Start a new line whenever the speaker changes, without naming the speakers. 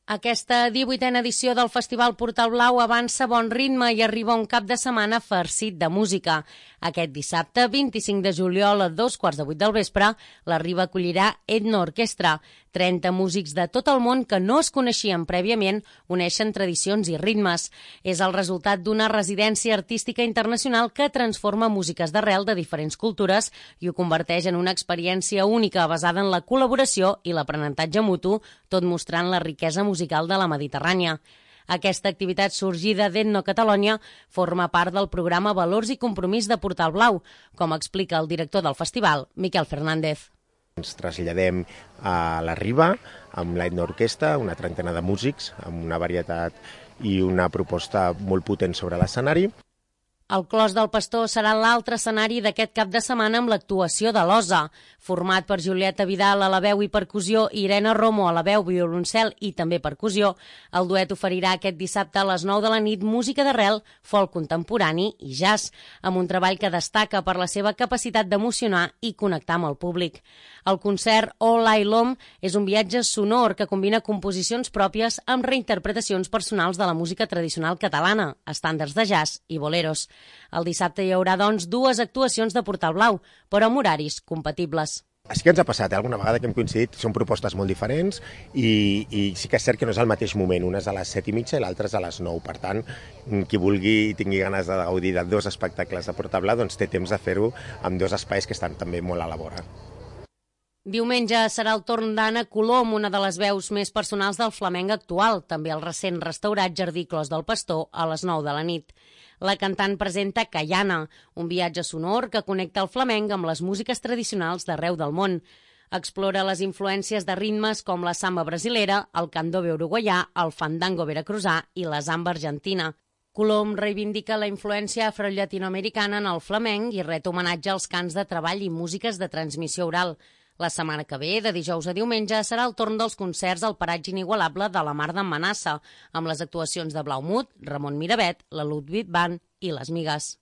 Aquesta 18a edició del Festival Portal Blau avança a bon ritme i arriba un cap de setmana farcit de música. Aquest dissabte, 25 de juliol, a 2:15 del vespre, la Riba acollirà Etno Orquestra. 30 músics de tot el món que no es coneixien prèviament uneixen tradicions i ritmes. És el resultat d'una residència artística internacional que transforma músiques d'arrel de diferents cultures i ho converteix en una experiència única basada en la col·laboració i l'aprenentatge mutu, tot mostrant la riquesa musical de la Mediterrània. Aquesta activitat sorgida d'Etno Catalunya forma part del programa Valors i Compromís de Portal Blau, com explica el director del festival, Miquel Fernández.
Ens traslladem a la Riba amb l'Etno Orquestra, una trentena de músics, amb una varietat i una proposta molt potent sobre l'escenari.
El Clos del Pastor serà l'altre escenari d'aquest cap de setmana amb l'actuació de l'Osa. Format per Julieta Vidal a la veu i percussió i Irene Romo a la veu, violoncel i també percussió, el duet oferirà aquest dissabte a les 9 de la nit música d'arrel, folk contemporani i jazz, amb un treball que destaca per la seva capacitat d'emocionar i connectar amb el públic. El concert All I Lom és un viatge sonor que combina composicions pròpies amb reinterpretacions personals de la música tradicional catalana, estàndards de jazz i boleros. El dissabte hi haurà, doncs, dues actuacions de Portal Blau, però amb horaris compatibles.
Sí que ens ha passat, alguna vegada que hem coincidit, són propostes molt diferents i sí que és cert que no és al mateix moment, una és a les 7:30 i l'altra és a les 9. Per tant, qui vulgui i tingui ganes de gaudir de dos espectacles de Portal Blau, doncs té temps de fer-ho amb dos espais que estan també molt a la vora.
Diumenge serà el torn d'Anna Colom, una de les veus més personals del flamenc actual, també el recent restaurat Jardí Clos del Pastor, a les 9 de la nit. La cantant presenta Caiana, un viatge sonor que connecta el flamenc amb les músiques tradicionals d'arreu del món. Explora les influències de ritmes com la samba brasilera, el candombe uruguaià, el fandango veracruzà i la zamba argentina. Colom reivindica la influència afrollatinoamericana en el flamenc i ret homenatge als cants de treball i músiques de transmissió oral. La setmana que ve, de dijous a diumenge, serà el torn dels concerts al paratge inigualable de la Mar d'en Manassa, amb les actuacions de Blaumut, Ramon Miravet, la Ludwig Band i les Migues.